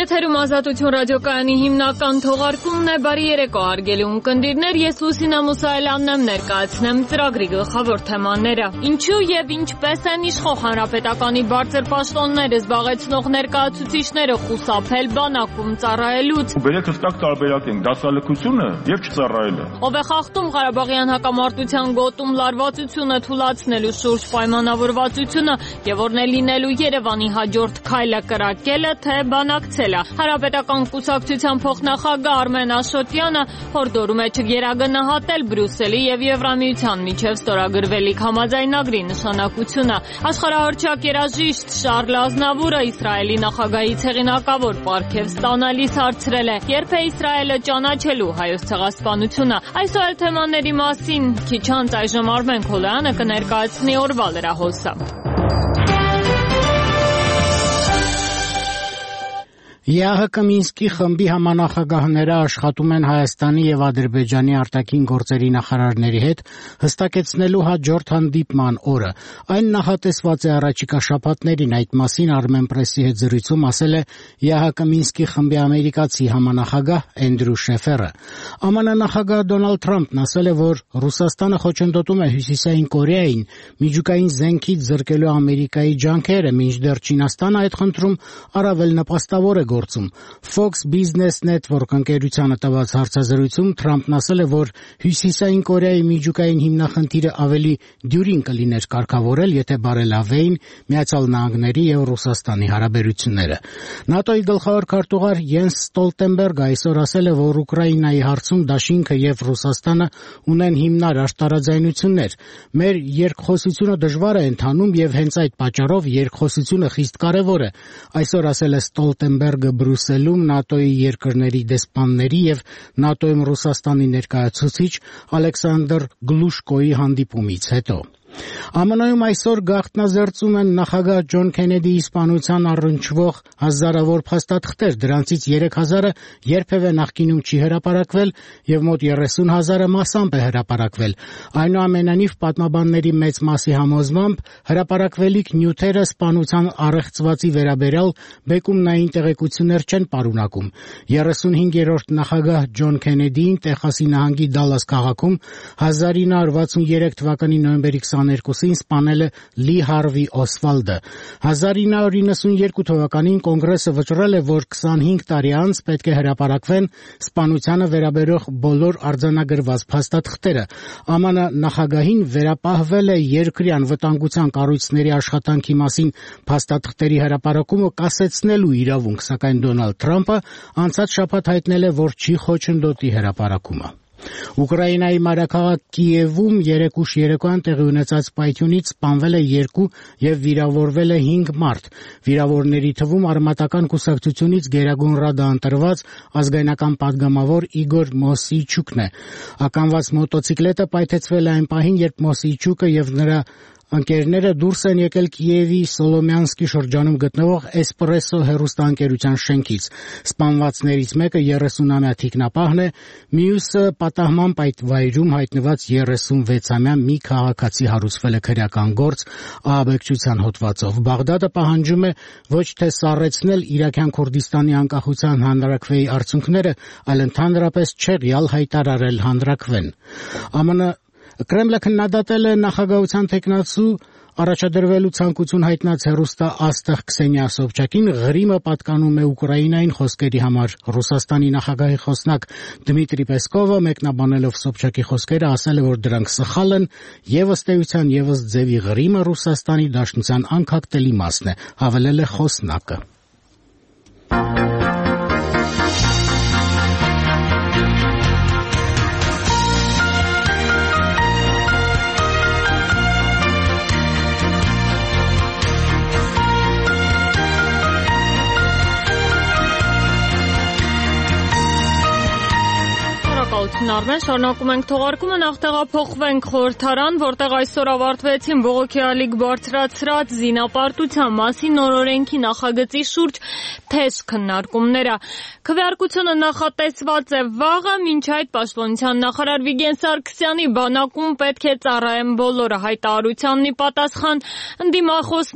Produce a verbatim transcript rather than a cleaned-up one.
Եթերում Ազատություն ռադիոկայանի հիմնական թողարկումն է։ Բարի երեկո հարգելի ունկնդիրներ, ես Լուսինա Մուսայելյանն եմ, ներկայացնեմ ծրագրի գլխավոր թեմաները։ Ինչու եւ ինչպես են իշխող հանրապետականի բարձր պաշտոնները զբաղեցնող ներկայացուցիչները խուսափել բանակում ծառայելուց։ Բերեք հստակ տարբերակ ենք դասալքությունը եւ չծառայելը։ Ով է խախտում Ղարաբաղյան հակամարտության գոտում լարվածությունը թույլատնելու շուրջ պայմանավորվածությունը եւ որն է լինելու Երևանի հաջորդ քայլը կրակելը, թե բանակցելը։ Հանրապետական կուսակցության փոխնախագահ Արմեն Աշոտյանը հորդորում է չգերագնահատել Բրյուսելի եւ Եվրամիության միջև ստորագրվելիք համաձայնագրի նշանակությունը։ Աշխարհահռչակ երաժիշտ Շարլ Ազնավուրը Իսրայելի նախագահի ցեղինակավոր պարգև ստանալիս հարցրել է. երբ է Իսրայելը ճանաչելու հայոց ցեղասպանությունը։ Այսօր էլ թեմաների մասին քիչ անց այժմ Արմեն Քոլոյանը կներկայացնի օրվա լրահոսը։ ԵԱՀԿ Մինսկի խմբի համանախագահները աշխատում են Հայաստանի եւ Ադրբեջանի արտաքին գործերի նախարարների հետ հստակեցնելու հաջորդ հանդիպման օրը։ Այն նախատեսված է առաջիկա շաբաթներին, այդ մասին Armenpress-ի հետ զրույցում ասել է ԵԱՀԿ Մինսկի խմբի ամերիկացի համանախագահ Էնդրյու Շեֆերը։ ԱՄՆ նախագահ Դոնալդ Թրամփն ասել է, որ Ռուսաստանը խոչընդոտում է Հյուսիսային Կորեային միջուկային զենքից զրկելու Ամերիկայի ջանքերը, մինչդեռ Չինաստանը այդ խնդրում առավել նպաստավոր է Fox Business Network ընկերությանը տված հարցազրույցում Թրամփն ասել է, որ Հյուսիսային Կորեայի միջուկային հիմնախնդիրը ավելի դյուրին կլիներ կարգավորել, եթե բարելավեին Միացյալ Նահանգների եւ Ռուսաստանի հարաբերությունները։ ՆԱՏՕ-ի գլխավոր քարտուղար Յենս Ստոլտենբերգը այսօր ասել է, որ Ուկրաինայի հարցում դաշինքը եւ Ռուսաստանը ունեն հիմնարար տարաձայնություններ։ Մեր երկխոսությունը դժվար է ընթանում եւ հենց այդ պատճառով երկխոսությունը խիստ կարեւոր է։ Այսօր ասել է Ստոլտենբերգը Բրյուսելում ՆԱՏՕ-ի երկրների դեսպանների եւ ՆԱՏՕ-ում Ռուսաստանի ներկայացուցիչ Ալեքսանդր Գլուշկոյի հանդիպումից հետո։ ԱՄՆ-ում այսօր գաղտնազերծում են նախագահ Ջոն Քենեդիի սպանության առնչվող հազարավոր փաստաթղթեր, դրանցից երեք հազարը երբևէ նախկինում չի հրապարակվել եւ մոտ երեսուն հազարը մասամբ է հրապարակվել։ Այնուամենայնիվ պատմաբանների մեծ մասի համոզմամբ հրապարակվելիք նյութերը սպանության առեղծվածի վերաբերյալ բեկումնային տեղեկություններ չեն պարունակում։ երեսունհինգերորդ նախագահ Ջոն Քենեդիին Տեխասի նահանգի Դալլաս քաղաքում հազար ինը հարյուր վաթսուներեք թվականի նոյեմբերի քսաներկուսին սպանել է Լի Հարվի Օսվալդը։ հազար ինը հարյուր իննսունյերկու թվականին կոնգրեսը վճռել է, որ քսանհինգ տարի անց պետք է հրապարակվեն սպանությանը վերաբերող բոլոր արձանագրված փաստաթղթերը։ ԱՄՆ նախագահին վերապահվել է երկրի անվտանգության կառույցների աշխատանքի մասին փաստաթղթերի հրապարակումը կասեցնելու իրավունք, սակայն Դոնալդ Թրամփը անցած շաբաթ հայտնել է, որ չի խոչընդոտի հրապարակումը։ Ուկրաինայի մայրաքաղաք Կիևում երեկ ուշ երեկոյան տեղի ունեցած պայթյունից սպանվել է երկու եւ վիրավորվել է հինգ մարդ։ Վիրավորների թվում արմատական կուսակցությունից Գերագույն Ռադա ընտրված ազգայնական падգամավոր Իգոր Մոսիչուկն է։ Ականված մոտոցիկլետը պայթեցվել է այն պահին, երբ Մոսիչուկը եւ նրա ընկերները դուրս են եկել Կիևի Սոլոմյանսկի շրջանում գտնվող Էսպրեսո հեռուստաընկերության շենքից։ Սպանվածներից մեկը երեսունամյա թիկնապահն է, մյուսը պատահմամբ այդ վայրում հայտնված երեսունվեցամյա մի քաղաքացի հարուցվել է քրեական գործ ահաբեկչության հոդվածով։ Բաղդադը պահանջում է ոչ թե սառեցնել Իրաքյան Քուրդիստանի անկախության հանրաքվեի արդյունքները, այլ ընդհանրապես չեղյալ հայտարարել հանրաքվեն։ ԱՄՆ Կրեմլը քննադատել է նախագահության թեկնածու առաջադրվելու ցանկություն հայտնած հեռուստա աստղ Քսենիա Սոբչակին, Ղրիմը պատկանում է Ուկրաինային խոսքերի համար։ Ռուսաստանի նախագահի խոսնակ Դմիտրի Պեսկովը մեկնաբանելով Սոբչակի խոսքերը ասել է, որ դրանք սխալ են եւ ըստ էության եւս ձևի Ղրիմը Ռուսաստանի Դաշնության անկախտելի մասն է, հավելել է խոսնակը։ Արմեն, շարունակում ենք թողարկումը, նախ տեղափոխվենք խորհրդարան, որտեղ այսօր ավարտվեցին բողոքի ալիք բարձրացրած զինապարտության մասին նոր օրենքի նախագծի շուրջ թեժ քննարկումները։ Քվեարկությունը նախատեսված է վաղը, մինչ այդ պաշտպանության նախարար Վիգեն Սարգսյանի բանակում պետք է ծառայեն բոլորը հայտարարությանն ի պատասխան ընդդիմախոս